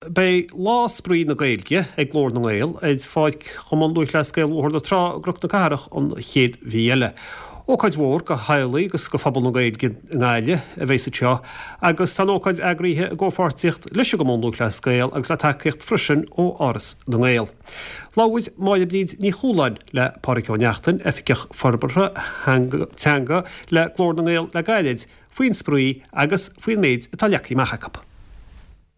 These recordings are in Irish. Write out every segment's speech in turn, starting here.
Beidh Lá Spraoi na Gaeilge ag Glór na nGael ar pháirc Chumann Lúthchleas Gael Bhóthar na Trá i gCnoc na Cathrach an chéad mhí eile. Ócáid mhór do theaghlaigh agus do phobal na Gaeilge i nGaillimh a bheas anseo agus tá an ócáid eagraithe i gcomhpháirtíocht leis an gCumann Lúthchleas Gael agus le tacaíocht freisin ó Áras na nGael. Labhair Máire Bríd Ní Chualáin le Pádraig Ó Neachtain, Oifigeach Forbartha Teanga le Glór na nGael le gairid, faoin spraoi agus faoin méid atá leagtha amach acu.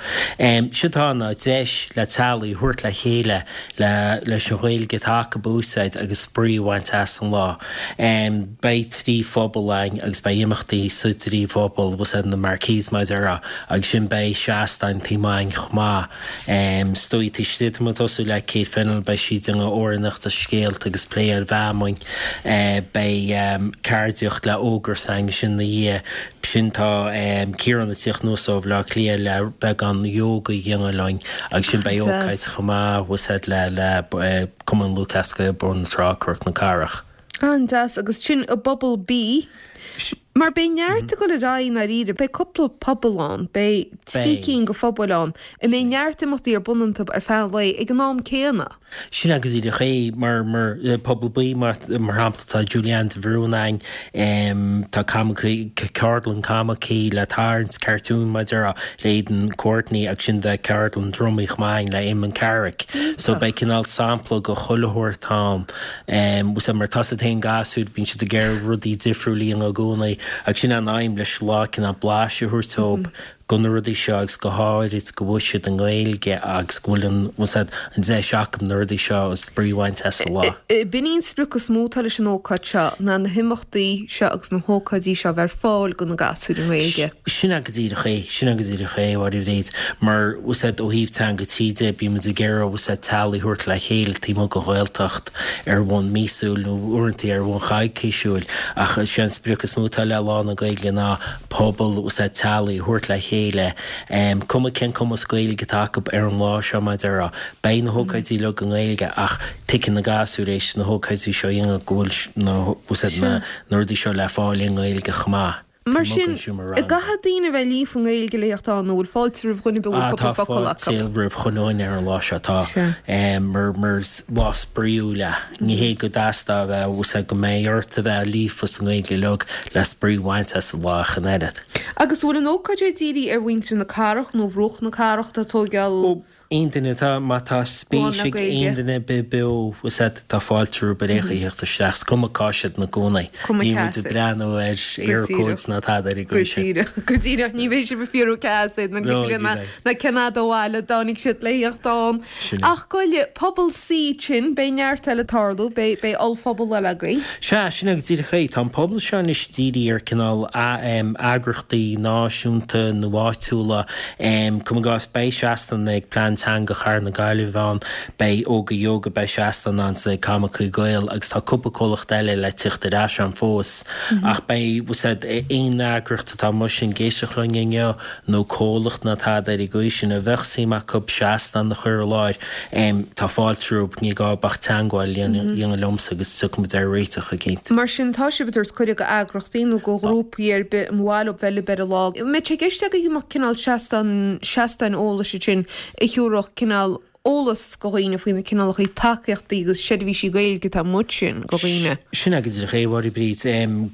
Séard atá ann ná deis le teaghlaigh a thabhairt le chéile le leis an Ghaeilge atá acu a úsáid agus spraoi a bhaint as an lá. Beidh 3 phuball againn agus beidh imeachtaí sa dtrí phuball, bhfuil 's a'd, na marquees mar a déarfá, agus sin beidh seastáin taobh amuigh againn chomh maith. Is dóigh taobh istigh tá muid ag tosú le Kate Fennell, beidh sí ag déanamh amhránaíocht agus scéalta agus plé ar fheamainn. Beidh ceardaíocht le Ógras againn ansin ina dhiaidh. Sin tá Ciarán ag tíocht anuas ó Bhaile Átha Cliath le beagán yoga a dhéanamh linn agus sin beidh ócáid chomh maith bhfuil 's a'd le le Cumann Lúthchleas Gael Bóthar na Trá Cnoc na Cathrach. An-deas agus sin i bPuball B. Mar beidh neart ag dul ar aghaidh i ndáiríre, beidh cúpla puball ann, beidh 3 cinn de phubaill ann a mbeidh neart imeachtaí ar bun iontu ar feadh an lae ag an am céanna. Sin é go díreach é, mar, mar, Puball B, mar, mar shampla, tá Julianne de Bhrún againn, tá coimicí, ceardlann coimicí le tarraingt, cartoon mar a déarfá, le Aidan Courtney agus sin tá ceardlann drumaí chomh maith againn le Eamon Carrick. So beidh cineál sampla de chuile shórt ann. Bhfuil 's a'd, mar tá 's a'd féin gasúir, bíonn siad ag iarraidh rudaí difriúla a dhéanamh i gcónaí agus sin é an aidhm leis an lá, cineál blaiseadh a thabhairt dóibh de na rudaí seo agus go háirid go bhfuil siad i nGaeilge agus go bhfuil an, bhfuil 's a'd, an deis acu na rudaí seo agus spraoi a bhaint as an lá. B'in í an sprioc is mó atá leis an ócáid seo ná na himeachtaí seo agus na hócáidí seo a bheith ar fáil do na gasúir i nGaeilge. Sin é go díreach é, sin é go díreach é, a Mháire Bhríd, mar, bhfuil 's a'd, ó thaobh teanga tí de, bíonn muid ag iarraidh, bhfuil 's a'd, teaghlaigh a thabhairt le chéile taobh amuigh den Ghaeltacht ar bhonn míosúil nó uaireanta ar bhonn coicísiúil ach is é an sprioc is mó atá le Lá na Gaeilge ná pobal, bhfuil 's a'd, teaghlaigh a thabhairt le chéile, cuma cén cumas Gaeilge atá acu ar an lá seo, mar a déarfá. Beidh na hócáidí uilig i nGaeilge ach tuigfidh na gasúir éis na hócáidí seo a dhéanamh go bhfuil na, bhfuil 's a'd, na rudaí seo le fáil i nGaeilge chomh maith. Mar sin, an gcaithfidh daoine a bheith líofa i nGaeilge le theacht ann nó bhfuil fáilte roimh dhuine ar bith a bhfuil cúpla focal acu? Tá fáilte roimh chuile dhuine ar an lá seo, tá. Mar, mar is lá spraíúil é. Ní hé go dteastóidh a bheith, bhfuil 's a'd, go mbeidh ort a bheith líofa sa nGaeilge uilig le spraoi a bhaint as an lá ach an oiread. Agus an bhfuil an ócáid seo dírithe ar mhuintir na cathrach nó bhruach na cathrach atá ag tóigeáil Ó, aon duine atá, má tá spéis ag aon duine ar bith beo, bhfuil 's a'd, tá fáilte rompu ar aon chaoi theacht isteach, is cuma cá siad ina gcónaí. Cuma Níl cá muid ag breathnú ar Eircodes ná tada ar an Go gcaoi sin. díreach, go díreach, ní bheidh sibh ag fiafraí cá as iad, ná cén fhad ó bhaile a dtáinig siad le theacht ann. Sin é. Ach goile, Puball C sin, beidh neart eile ag tarlú, beidh, beidh ollphuball eile agaibh. Sea, sin é go díreach é. Tá an puball seo anois dírithe ar cineál eagrachtaí náisiúnta nó áitiúla. Cuir i gcás, beidh seastán ag Plean Teanga Chathair na Gaillimhe ann, beidh Óga Yoga, beidh seastán ann ag Coimicí Gael agus tá cúpla comhlacht eile le tíocht ar ais ann fós. Ach beidh, bhfuil 's a'd, aon eagraíocht atá amuigh sin ag éisteacht linn inniu, nó comhlacht ná tada ar an gcaoi sin a bheadh suim acu seastán a chur i láthair, tá fáilte rompu, ní gá ach teagmháil a dhéanamh liomsa agus tiocfaidh muid ar réiteach eicínt. Mar sin, tá sibh ag tabhairt cuireadh go eagrachtaí nó go ghrúpaí ar bith ar mhaith leo bheith libh ar an lá. An mbeadh sé i gceist agaibh go mbeadh cineál seastán, seastáin eolais ansin a thiúrfadh cineál eolas go dhaoine faoi na cineálacha tacaíochtaí agus seirbhísí Gaeilge atá amuigh ansin go dhaoine. Sin é go díreach é, a Mháire Bríd.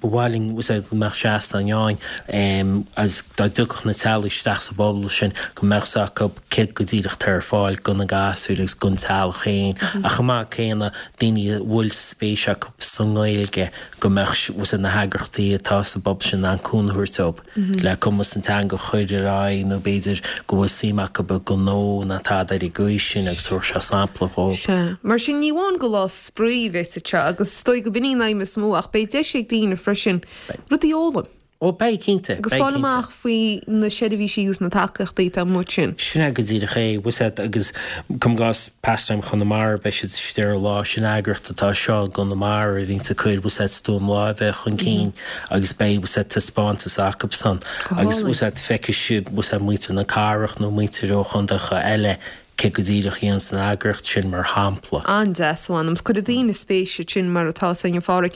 Ba mhaith linn go mbeadh seastán ann agus dá dtiocfadh na teaghlaigh isteach sa bpuball sin go mbeadh 's acu céard go díreach atá ar fáil go na gasúir agus gon teaghlach féin ach chomh maith céanna daoine a bhfuil spéis acu sa nGaeilge go mbeadh 's a'd na heagrachtaí atá sa bpuball sin in ann cúnamh a thabhairt dóibh. le cumas an teanga a chur ar aghaidh nó b'fhéidir go bhfuil suim acu i ngnó ná tada ar an gcaoi sin agus thabharfadh sé sampla dhóibh. Sea. Mar sin ní amháin gur lá spraoi a bheas anseo agus is dóigh go b'in í an aidhm is mó ach beidh deis ag daoine freisin rudaí a fhoghlaim. Ó beidh, cinnte. Agus fáil amach faoi na seirbhísí agus na tacaíochtaí atá amuigh ansin. Sin é go díreach é, bhfuil 's a'd agus cuir i gcás Pastime Chonamara beidh siad istigh ar an lá sin eagraíocht atá anseo i gConamara a bhíonns ag cur bhfuil 's a'd stuaim láimhe chun cinn. agus beidh bhfuil 's a'd taispeántas acusan Go agus hálainn. bhfuil 's a'd feicfidh siad bhfuil 's a'd muintir na cathrach nó muintir ó chontaetha eile. cé go díreach a dhéananns an eagraíocht sin mar shampla. An-deas, a mh'anam, 's cuirfidh daoine spéis ansin mar atá san, a Pháraic.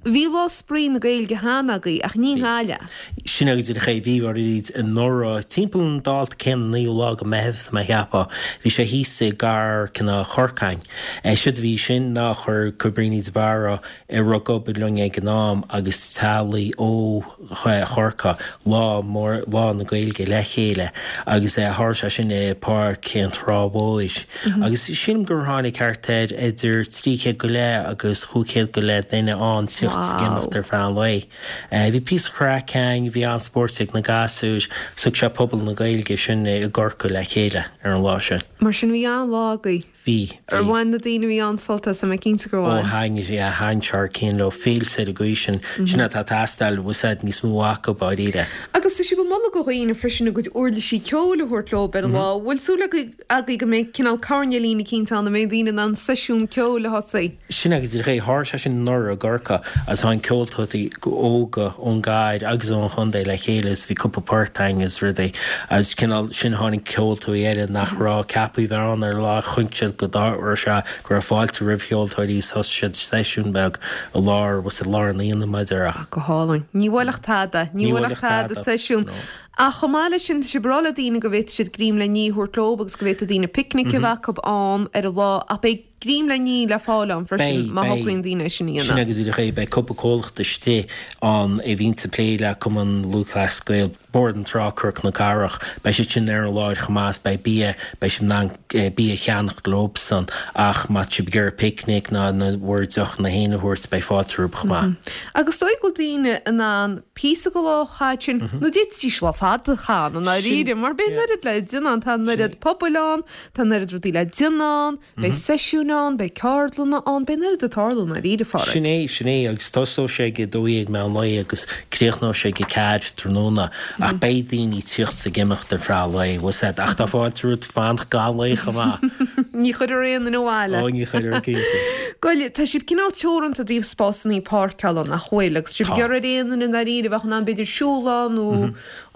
Bhí Lá Spraoi na Gaeilge cheana agaibh ach ní i nGaillimh. Sin é go díreach é, bhí mar a bhí anuraidh, timpeall an dáta céanna, naoú lá go Meitheamh tá mé a cheapadh, bhí sé thíos i gCarr cineál Chorcáin. Séard a bhí sin ná chuir Cabríní de Barra a raibh ag obair linn ag an am agus teaghlaigh ó Chorcaigh lá mór, Lá na Gaeilge le chéile agus tharla sé sin i bPáirc an Trá Mhóir agus sílim gur tháinig thart ar idir 300 go leith agus 500 go leith duine ann tíocht is ag imeacht ar feadh an lae. Bhí píosa craic ann, bhí an-spóirt ag na gasúir, thug sé pobal na Gaeilge sin i gCorcaigh le chéile ar an lá sin. Mar sin bhí an-lá agaibh. Bhí, bhí. Ar bhain na daoine a bhí ann sult as, tá mé cinnte gur Ó bhain. thaitnigh, yeah, thaitnigh thar cionn leo, féilte ar an gcaoi sin, sin atá ag teastáil, bhfuil 's a'd, níos mó acu, dáiríre. Agus tá sibh ag moladh go dhaoine freisin a gcuid uirlisí ceoil a thabhairt leo ar an lá. Bhfuil súil agaibh go mbeidh cineál coirnéilín eicínt ann a mbeidh daoine in ann seisiún ceoil a thosaí? Sin é go díreach é. Tharla sé sin anuraidh i gCorcaigh agus tháinig ceoltóirí óga ón gcathair agus ón chontae le chéile agus bhí cúpla port againn agus rudaí agus cineál sin tháinig ceoltóirí eile nach raibh ceaptha a bheith ann ar an lá chonaic siad go raibh sé go raibh fáilte roimh cheoltóirí agus thosaigh siad seisiún beag i lár bhfuil 's a'd lár an aonaigh mar a déarfá. Go hálainn. Ní bhuailfeadh tada. Ní bhuailfeadh tada seisiún. Ach chomh maith leis sin tá sibh ag rá le daoine go bhféadfaidh siad greim le ní a thabhairt leo agus go bhféadfaidh daoine picnic a bheith acu ann ar an lá ach beidh Greim le ní le fáil ann freisin Beidh, má beidh. shocraíonn daoine é sin a Sin dhéanamh. é go díreach é. Beidh cúpla comhlacht istigh ann a bhíonns ag plé le Cumann Lúthchleas Gael, Bord na Trá, Cnoc na Cathrach. Beidh siad sin ar an láthair chomh maith is beidh bia, beidh sibh in ann bia a cheannacht leobsan ach má tá sibh ag iarraidh picnic ná na bhur deochanna féin a thabhairt beidh fáilte romhaibh chomh maith. Agus is dóigh go bhfuil daoine in ann píosa de lá a chaitheamh ansin nó d'fhéadfaidís lá fada a chaitheamh ann i ndáiríre mar beidh an oiread le déanamh ann, tá an oiread pobail ann, tá an oiread rudaí le déanamh ann. Beidh seisiúin ann, beidh ceardlanna ann, beidh an oiread ag tarlú i ndáiríre, a Pháraic. Sin é, sin é, agus tosóidh sé ag 12 meán lae agus críochnóidh sé ag 4 tráthnóna, ach beidh daoine ag tíocht 's ag imeacht ar feadh an lae, bhfuil 's a'd, ach tá fáilte romhat fanacht gach lae chomh maith. Ní chuirfear aon duine abhaile. Ó, ní chuirfear, cinnte. Bhuel, tá sibh cineál teoranta i dtaobh spásanna páirceála, nach bhfuil? Agus sibh ag iarraidh ar aon duine i ndáiríre a bheadh in ann b'fhéidir siúl ann nó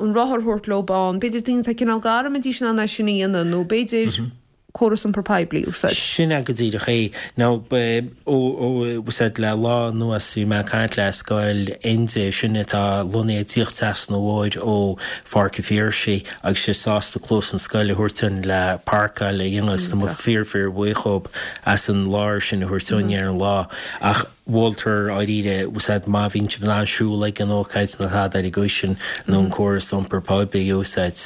an rothar a thabhairt leo ann, b'fhéidir daoine atá cineál gar an mbeidís in ann é sin a dhéanamh nó b'fhéidir córas iompar poiblí a úsáid. Sin é go díreach é. Now, ó, ó, bhfuil 's a'd, le lá anuas bhí mé ag caint le Scoil Enda, sin atá lonnaithe díreach trasna an bhóthair ó Pháirc an Phiarsaigh agus siad sásta cluas an scoil a thabhairt dúinn le páirceáil a dhéanamh agus tá muid fíor fíor bhuíoch dhób as an láthair sin a thabhairt dúinn ar an lá. Ach mholtar dáiríre, bhfuil 's a'd, má bhíonn sibh in ann siúl ag an ócáid nó tada ar an gcaoi sin nó an córas iompar poiblí a úsáid.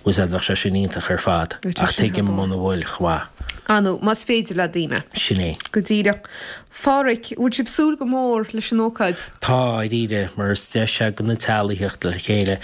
Bhfuil 's a'd, bheadh sé sin iontach ar fad, ach tuigim muna bhfuil, chomh maith. Ah nó, más féidir le daoine. Sin é. Go díreach. Pháraic, bhfuil sibh súil go mór leis an ócáid? Tá, dáiríre, mar is deis é do na teaghlaigh theacht le chéile,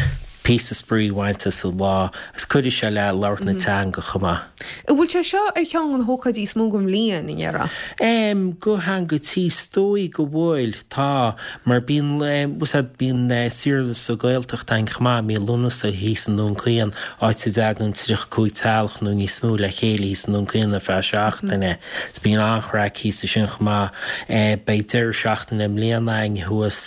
píosa spraoi a bhaint as an lá, agus cuirfidh sé le labhairt na teanga chomh maith. An bhfuil sé seo ar cheann de na hócáidí is mó den bhliain, an ndéarfá? Em, do Theanga Tí, is dóigh go bhfuil, tá. Mar bíonn, bhfuil 's a'd, bíonn saoire sa Ghaeltacht againn chomh maith, mí Lúnasa thíos i nDún Chaoin, áit a dtagann 35 teaghlach nó níos mó le chéile thíos i nDún Chaoin ar feadh seachtaine. So bíonn an-chraic thíos ansin chomh maith. Beidh deireadh seachtaine i mbliana againn thuas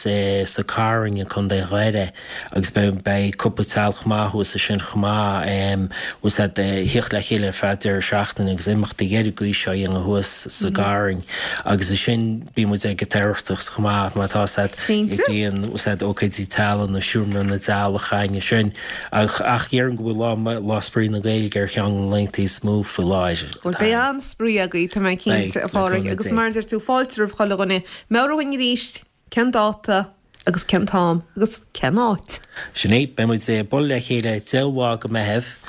sa Carn i gContae Dhoire. Agus beidh, beidh cúpla teaghlach maith thuas ansin chomh maith, bhfuil 's a'd, ag thíocht le chéile ar feadh deireadh seachtaine agus imeachtaí ar an gcaoi seo a dhéanamh thuas sa gCarn. Agus ansin bíonn muid ag an tOireachtas chomh maith, má tá 's a'd, Cinnte. bíonn, bhfuil 's a'd, ócáidí teaghlaigh nó seomra na dteaghlach againn ansin. Ach, ach déarfainn go bhfuil lá, Lá Spraoi na Gaeilge ar cheann de na laethanta is mó faoi láthair. Bhuel, beidh an-spraoi agaibh, tá mé cinnte, Beidh, a le Pháraic. cúnamh Agus Dé. mar a deir tú, fáilte roimh chuile dhuine. Meabhraigh dhúinn arís, cén dáta? Agus cén t-am agus cén áit? Sin é, beidh muid ag bualadh le chéile 10ú lá go Meitheamh,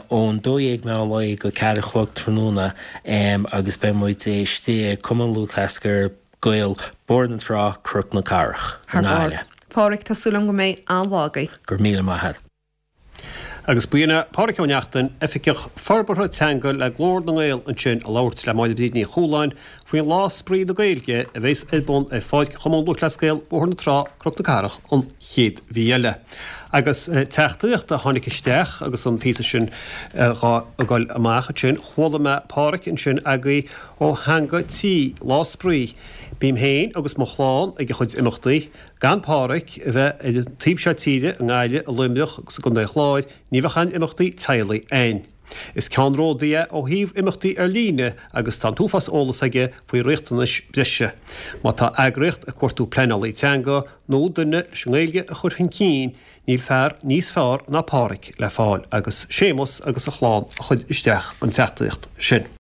ón 12 meán lae go 4 a chlog tráthnóna agus beidh muid istigh i Cumann Lúthchleas Gael, Bord na Trá, Cnoc na Cathrach, i Thar barr. nGaillimh. Páraic, tá súil agam go mbeidh an-lá agaibh. Go raibh míle maith a't. Agus b'in é Páraic Ó Neachtain, Oifigeach Forbartha Teanga le Glór na nGael ansin ag labhairt le Máire Bríd Ní Chualáin faoin Lá Spraoi na Gaeilge a bheas ar bun ar Pháirc Chumann Lúthchleas Gael, Bóthar na Trá, Cnoc na Cathrach an chéad mhí eile. Agus teachtaireacht a tháinig isteach agus an píosa sin dhá ghoil amach ansin, chuala mé Páraic ansin agaibh ó Theanga Tí, Lá Spraoi. Bím féin agus mo chlann ag a chuid imeachtaí. Gan Páraic a bheith ar an taobh seo tíre, i nGaillimh, i Luimneach agus i gContae an Chláir, ní bheadh aon imeachtaí teaghlaigh ann. Is ceannródaí é ó thaobh imeachtaí ar líne agus tá an t-uafás eolas aige faoi riachtanais bhreise. Má tá eagraíocht ag cuartú pleanálaí teanga nó duine leis an nGaeilge a chur chun cinn, níl fear níos fearr ná Páraic le fáil agus Séamus agus a chlann a chuir isteach an teachtaireacht sin.